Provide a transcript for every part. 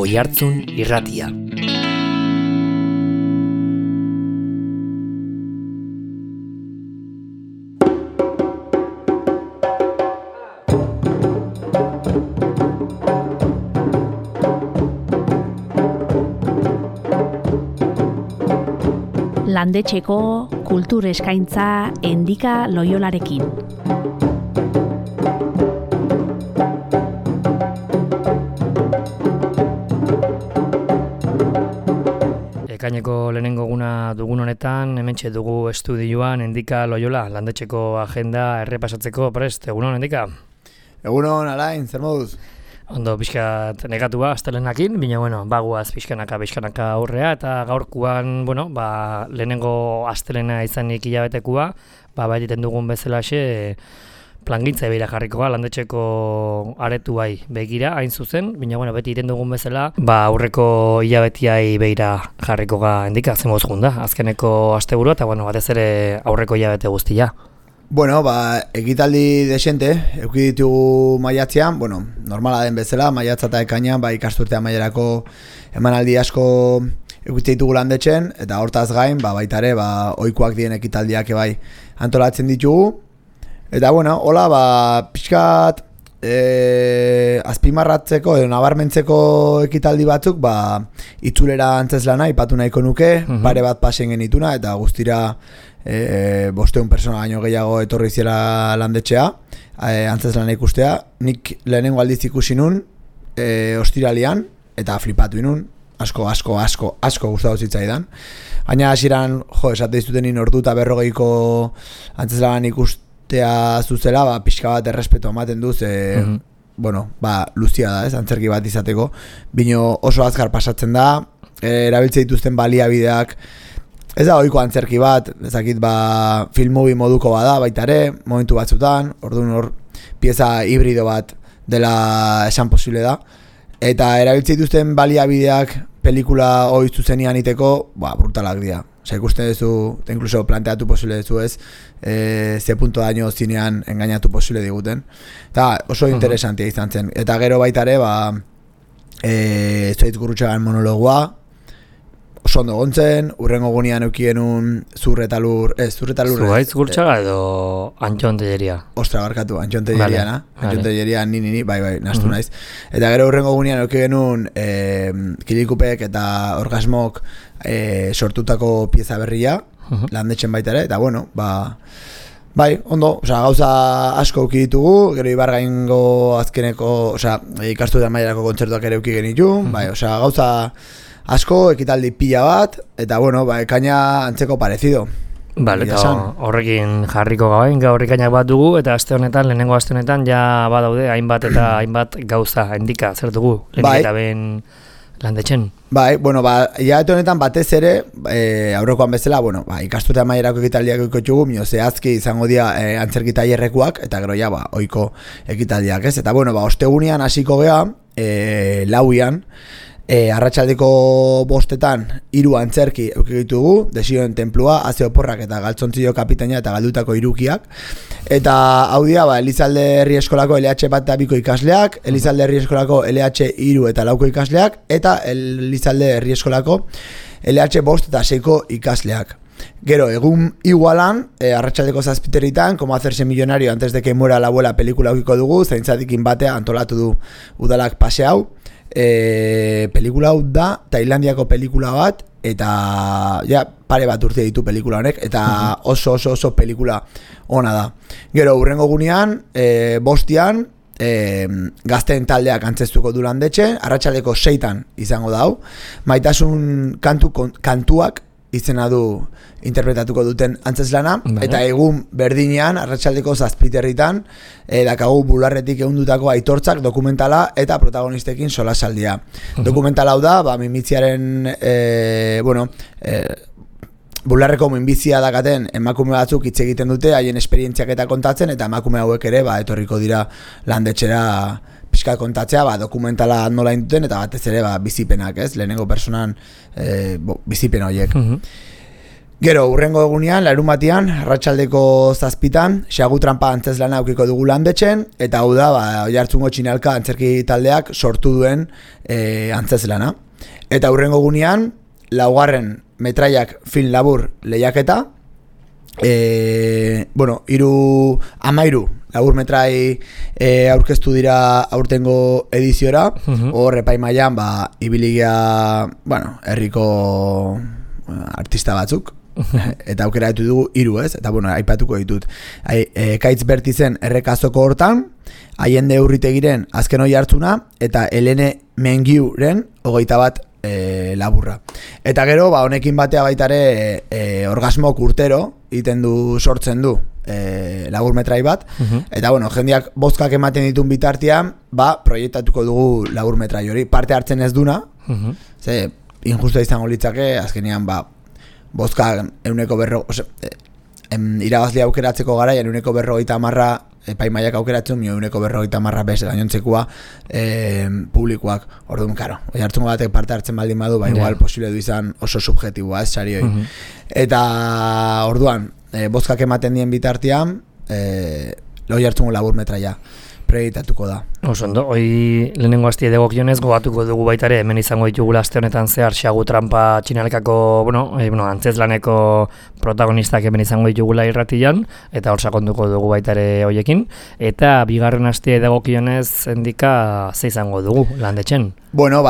Oihartzun Irratia. Landetxeko kultur eskaintza Endika Loiolarekin. Ekaineko lehenengo eguna dugun honetan, hementxe dugu estudioan Endika Loiola, landetxeko agenda errepasatzeko prest. Egunon, Endika? Egunon, Alain, zer moduz? Ondo, pixkat negatua, astelenakin, baina, bagoaz pixkanaka aurrea, eta gaurkoan, lehenengo astelena izanik hilabetekua, baititen dugun bezalaxe, plangintza begira jarrikoa, landetxeko aretuai begira, hain zuzen, baina, beti iten dugun bezala, aurreko hilabetiai begira jarrikoa Endika, zen mozgun da, azkeneko asteburu, eta, batez ere aurreko hilabete guztia. Ekitaldi desente, eduki ditugu maiatzean, normala den bezala, maiatza eta ekainean, ikasturtea mailerako emanaldi asko eduki ditugu landetxen, eta hortaz gain, baita ere, ohikoak diren ekitaldiak antolatzen ditugu. Eta, pixkat azpimarratzeko edo nabarmentzeko ekitaldi batzuk, itzulera antzeslana ipatu nahiko nuke, pare bat pasen genituna, eta guztira 500 persona baino gehiago etorri zela landetxea, antzeslana ikustea. Nik lehenengo aldiz ikusi nun, ostiralian, eta flipatu inun, asko gustatu zitzaidan. Baina hasieran, esate dizuten ordu eta 40ko antzeslanan ikustea zuzela, pixka bat errespetu ematen duz, luzia da, antzerki bat izateko, bino oso azkar pasatzen da, erabiltze dituzten baliabideak, ez da ohiko antzerki bat, ezakit film movie moduko bada baita ere, momentu batzutan, orduan hor pieza hibrido bat dela esan posible da, eta erabiltze dituzten baliabideak pelikula hori zuzenean iteko, brutalak dira. Ikusten duzu, inkluso planteatu posible duzu ez, ze punto daño zinean engainatu posible diguten. Eta oso interesantia izan zen. Eta gero baita ere, Zuhaitz Gurrutxagan monologoa, oso ondo gontzen, urrengo gunean eukienun Zuhaitz Gurrutxaga edo Antxon Telleria? Ostra, barkatu, Antxon Telleria, Antxon Telleria, ni, nastu naiz. Eta gero urrengo gunean eukienun Kilikupek eta Orgasmok sortutako pieza berria, landetxen baita ere, eta ondo, gauza asko euki ditugu, gero Ibargaingo azkeneko, ikastu da mailarako kontzertuak ere euki genitu, gauza asko, ekitaldi pila bat, eta ekaina antzeko parecido. Eta horrekin jarriko gaur ekainak bat dugu, eta lehenengo aste honetan ja badaude hainbat gauza Endika, zer dugu, lehenik eta ben landetxen. Hilabete honetan batez ere, aurrekoan bezala, ikasturte amaierako ekitaldiak ditugu, zehazki izango dira antzerki tailerrekoak, eta gero ohiko ekitaldiak, ez? Eta ostegunean hasiko gea, lauian, arratsaldeko 5etan 3 antzerki eduki ditugu, Desioen tenplua, Aze oporrak eta Galtzontzillo kapitaina eta Galdutako hirukiak. Eta hau dira, Elizalde Herri Eskolako LH bat eta 2ko ikasleak, Elizalde Herri Eskolako LH 3 eta 4ko ikasleak, eta Elizalde Herri Eskolako LH 5 eta 6ko ikasleak. Gero, egun igualan, arratsaldeko 7:00, Como hacerse millonario antes de que muera la abuela pelikula eukiko dugu, zaintzadikin batea antolatu du udalak pase hau. Pelikula hau da Tailandiako pelikula bat, eta pare bat urte ditu pelikula honek, eta oso pelikula ona da. Gero urrengo gunean, 5:00, gazteen taldeak antzeztuko du landetxe, arratsaldeko 6:00 izango da hau. Maitasun kantuak izena du interpretatuko duten antzeslana, eta egun berdinean, arratsaldeko 7:00, dakagu bularretik ehundutako aitortzak dokumentala eta protagonistekin solasaldia. Dokumentala hau da, minbiziaren, bularreko minbizia dakaten emakume batzuk hitz egiten dute, haien esperientziak eta kontatzen, eta emakume hauek ere, etorriko dira landetxera pixka kontatzea, dokumentala nola induten, eta batez ere bizipenak, ez? Lehenengo personan bizipen horiek. Gero, urrengo egunean, larunbatean, arratsaldeko 7:00, Xagu Tranpa antzeslana aukiko dugu Landetxen, eta hau da, Oiartzungo Txinalka antzerki taldeak sortu duen antzeslana. Eta urrengo egunean, 4. metraiak film labur lehiaketa, 13 labur metrai aurkeztu dira aurtengo ediziora, hor epaimaian ibiligia, herriko artista batzuk, eta aukera ditu dugu 3, ez? Eta aipatuko ditut. Kaitz Bertizen errekazoko hortan, Aiende Urritegiren azken Oiartzuna, eta Helene Mengiuren 21 laburra. Eta gero, honekin batea baitare orgasmok urtero egiten du, sortzen du labur metrai bat, eta jendeak bozkak ematen ditun bitartean, proiektatuko dugu labur metrai hori. Parte hartzen ez duna, ze injusta izango litzake, azkenean bozka 140, irabazle aukeratzeko garaian 150 epaimaiak aukeratzen, 150 bez gainontzekoa publikoak. Orduan, Oiartzungo batek parte hartzen baldin badu, igual posible du izan oso subjetiboa, ez sari hori. Eta orduan, bozkak ematen dien bitartean, Oiartzungo labur metraia proiektatuko da. Osondo, hoi lehenengo hastie dagokionez gogatuko dugu baitare, hemen izango ditugula aste honetan zehar Xagu Tranpa Txinalkako, antzezlaneko protagonistak hemen izango ditugula irratian, eta hor sakonduko dugu baitare hoiekin, eta bigarren hastie dagokionez endika ze izango dugu Landetxen.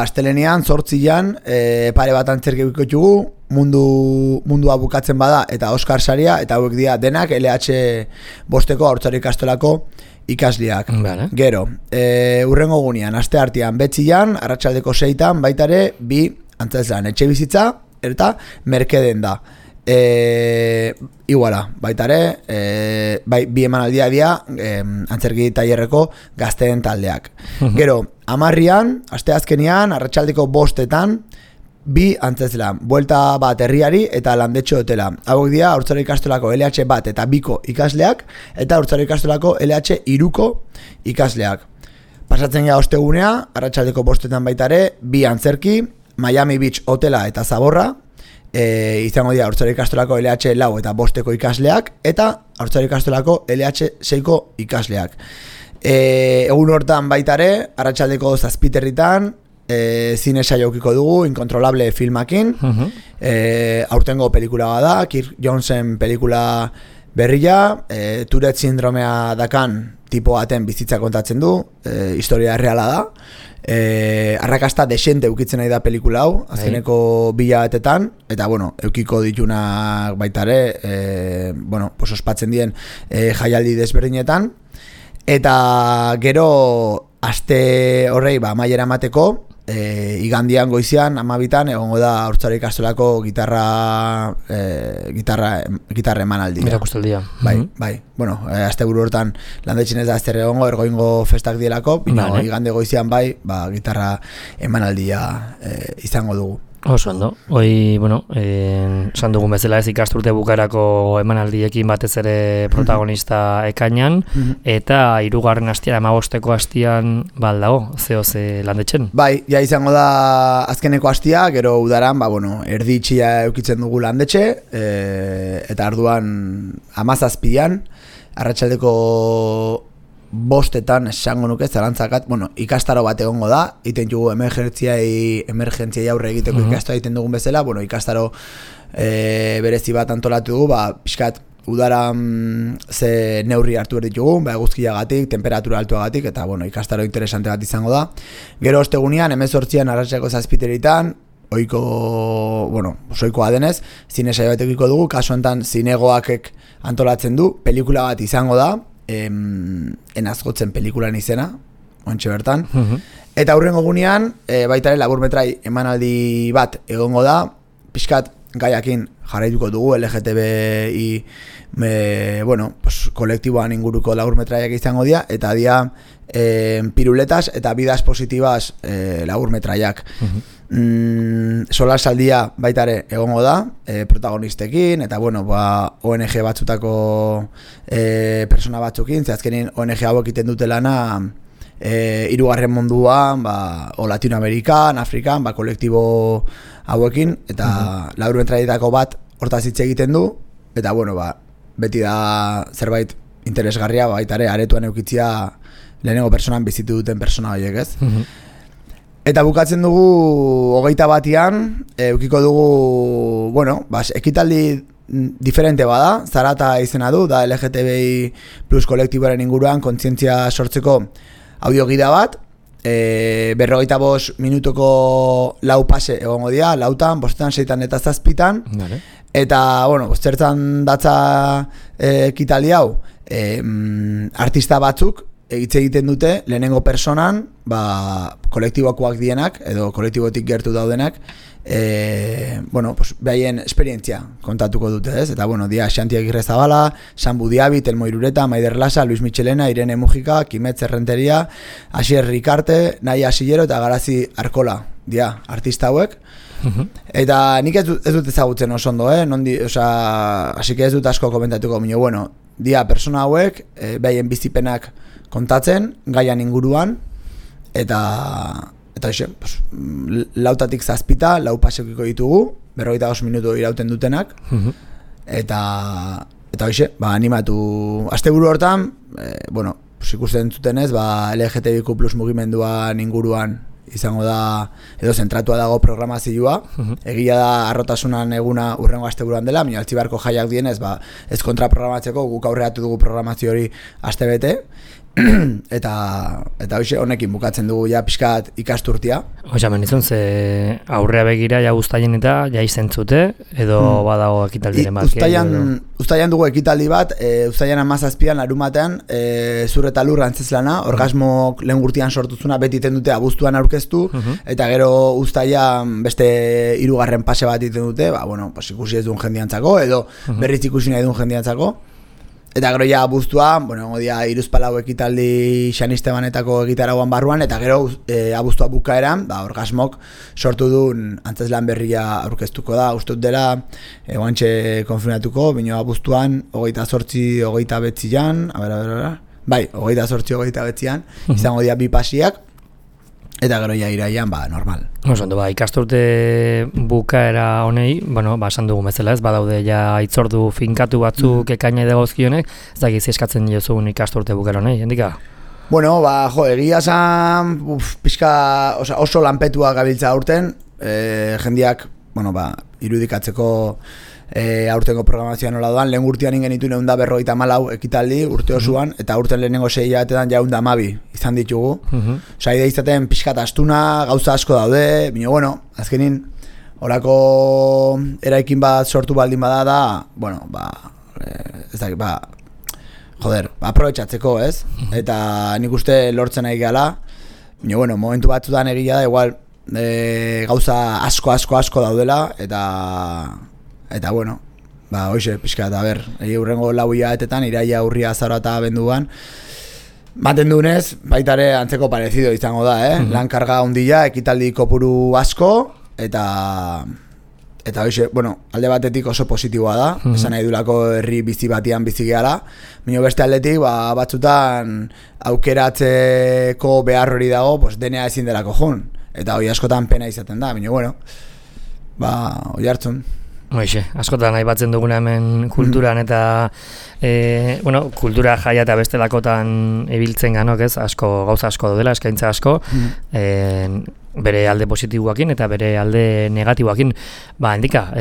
Astelenean, 8an, pare bat antzerki ditugu, mundua bukatzen bada, eta Oskar saria, eta hauek dira denak LH 5 Haurtzaro ikastolako ikasleak. Vale. Gero, urrengo gunean, aste artean, betzian, arratsaldeko 6an, baitare, 2 antzezlan, etxe bizitza, eta merkeden da. Iguala, baitare, 2 emanaldia dira, antzerki tailerreko gazteen taldeak. Gero, 10an, aste azkenean, arratsaldeko 5etan, 2 antzezlan, buelta bat herriari eta Landetxo hotela. Hauek dira Haurtzaro ikastolako LH 1 eta 2ko ikasleak, eta Haurtzaro ikastolako LH 3ko ikasleak. Pasatzen gara ostegunea, arratsaldeko 5etan baitare, 2 antzerki, Miami Beach hotela eta Zaborra, izango dira Haurtzaro ikastolako LH 4 eta 5ko ikasleak, eta Haurtzaro ikastolako LH 6ko ikasleak. Egun hortan baitare, arratsaldeko 7:00 zine saio aukiko dugu, Incontrolable filmakin, aurtengo pelikula bada, Kirk Jonesen pelikula berria, Tourette sindromea dakan tipo baten bizitza kontatzen du, historia reala da, arrakasta desente eukitzen nahi da pelikula hau, azkeneko 2 hilabetetan, eta eukiko ditunak baitare, ospatzen dien jaialdi desberdinetan, eta gero aste horrei amaiera emateko, igandian goizian 12an egongo da Haurtzaro ikastolako gitarra emanaldia. Erakustaldia. Bai. Asteburu hortan Landetxen ez da ezer egongo, ergoingo festak dielako, igande goizian gitarra emanaldia izango dugu. Oso ondo. Hoi, esan dugun bezala ez ikasturte bukarako emanaldiekin batez ere protagonista ekainan, eta 3. hastian, 15ko hastian baldago, ze Landetxen? Bai, ja izango da azkeneko hastia, gero udaran, erdi itxia eukitzen dugu Landetxe, eta arduan 17an, arratsaldeko 5etan esango nuke zarantzakat, ikastaro bat egongo da, iten dugu emergentziai aurre egiteko ikastaro egiten dugun bezala, ikastaro berezi bat antolatu dugu, pixkat udaran ze neurri hartu ditugu, eguzkiagatik, temperatura altuagatik, eta ikastaro interesante bat izango da. Gero ostegunean, 18an arratsaldeko 7:00, oikoa denez, zine saio bat egiko dugu, kasu honetan zinegoakek antolatzen du, pelikula bat izango da, enazgotzen pelikulan izena, ontxe bertan. Eta hurrengo gunean, baitare labur metrai emanaldi bat egongo da, pixkat gaiakin jarraituko dugu, LGTBI kolektiboan inguruko labur metraiak izango dira, eta dira piruletas eta bidas positibas labur metraiak. Solasaldia baitare egongo da, protagonistekin, eta ONG batzutako persona batzukin, ze azkenin ONG hauek egiten dute lana 3. munduan, o Latinoamerikan, Afrikan, kolektibo hauekin, eta labur metraietako bat hortaz hitz egiten du, eta bueno, beti da zerbait interesgarria, baita ere, aretuan eukitzia lehenengo personan bizitu duten persona horiek, ez? Eta bukatzen dugu 21an, eukiko dugu, bueno, ekitaldi diferente bada, Zarata izena du, da LGTBI plus kolektiboaren inguruan kontzientzia sortzeko audiogida bat, 45 minutuko 4 pase egongo dira, 4, 5, 6 eta 7, vale. Eta, bueno, zertan datza ekitaldi hau, artista batzuk hitz egiten dute lehenengo personan, kolektibokoak dienak, edo kolektibotik gertu daudenak, bueno, pues, behaien esperientzia kontatuko dute, ez? Eta, bueno, dia Xanti Agirrezabala, Sambu Diabi, Telmo Irureta, Maider Lasa, Luis Michelena, Irene Mujika, Kimetz Errenteria, Asier Rikarte, Naia Asillero eta Garazi Arkola, dia, artista hauek. Eta nik ez dut ezagutzen oso ondo, así que ez dut asko komentatuko, bueno, dia persona hauek, behaien bizipenak kontatzen, gaian inguruan, eta hoxe, 4tik 7, 4 pasekiko ditugu, 45 minutu irauten dutenak, eta hoxe, animatu, asteburu hortan, bueno, ikusten zutenez, LGTBIQ plus mugimenduan inguruan izango da, edo zentratua dago programazioa, egia da arrotasunan eguna urrengo asteburuan dela, baina Altzibarko jaiak dienez, ez kontraprogramatzeko, guk aurreatu dugu programazio hori astebete, eta hoxe honekin bukatzen dugu ja pixkat ikasturtia. Osa, menizun, ze aurrea begira ja uztaien eta ja izentzute, edo badago ekitaldiren bat? Uztaian dugu ekitaldi bat, uztaian 17an larumatean, Zur eta Lur antzezlana, orgasmo lehen gurtian sortuzuna beti iten dute abuztuan aurkeztu, eta gero uztaian beste 3. pase bat iten dute, bueno, ikusi ez duen jendiantzako, edo berriz ikusi nahi duen jendiantzako. Eta gero ja abuztua, bueno, dia 3 ekitaldi Xanistebanetako egitarauan barruan, eta gero abuztua bukaeran, orgasmok sortu duen antzeslan berria aurkeztuko da, ustut dela, oantxe konfirmatuko, bino abuztuan, 28, 29an, bai, 28, 29an, izango dira 2 pasiak, eta gero ja iraian, normal. Ondo, ikasturte bukaera honei, bueno, esan dugu bezala ez, badaude ja itzordu finkatu batzuk ekaina dagozkionek, ez dakiz eskatzen diozugun ikasturte bukaera honei, hendika? Bueno, egia zan, pixka, oso lanpetua gabiltza aurten, jendiak, bueno, irudikatzeko aurtengo programazioa nola doan, lehen urtean ingen ditu 154 ekitaldi urte osoan, eta urten lehenengo 6 hilabetetan ja 112 izan ditugu. Osa, idea izaten pixkat astuna, gauza asko daude, bino, bueno, azkenin, horako eraikin bat sortu baldin bada da, bueno, ez dakit, aprobetxatzeko, ez? Eta nik uste lortzen nahi gala, bino, bueno, momentu batzutan egia da, igual, gauza asko daudela, eta bueno, hoxe, pixka, eta urrengo 4 hilabetetan, iraia, urria, azara eta abenduan, maten duenez, baitare antzeko parezido izango da, lan karga ondila, ekitaldi kopuru asko, eta hoxe, bueno, alde batetik oso positiboa da, esan nahi dulako herri bizi batian bizi gehala, baina beste aldetik, batzutan aukeratzeko behar hori dago, denea ezin delako joan, eta hoi askotan pena izaten da, baina bueno, hoi hartzun. Hoxe, askotan aipatzen duguna hemen kulturan eta bueno, kultura jaia eta bestelakotan ibiltzen ganok, ez? Gauza asko daudela, eskaintza asko, bere alde positiboakin eta bere alde negatiboakin. Hendika,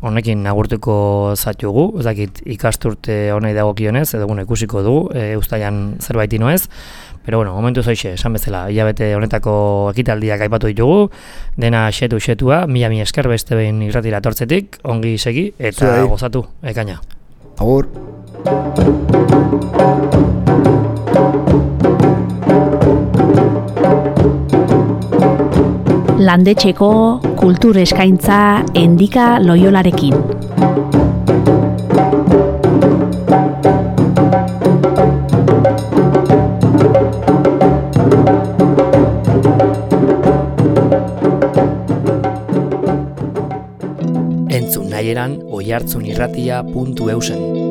honekin agurtuko zatugu, ez dakit ikasturte honei dagokionez, edo ikusiko dugu, uztaian zerbait inoez. Pero bueno, momentu zoixe, esan bezala, hilabete honetako ekitaldiak aipatu ditugu, dena xetua, mila esker beste behin irratira tortzetik, ongi segi eta gozatu, ekaina. Agur. Landetxeko kultur eskaintza Endika Loiolarekin. Entzun nahieran oihartzunirratia.eusen.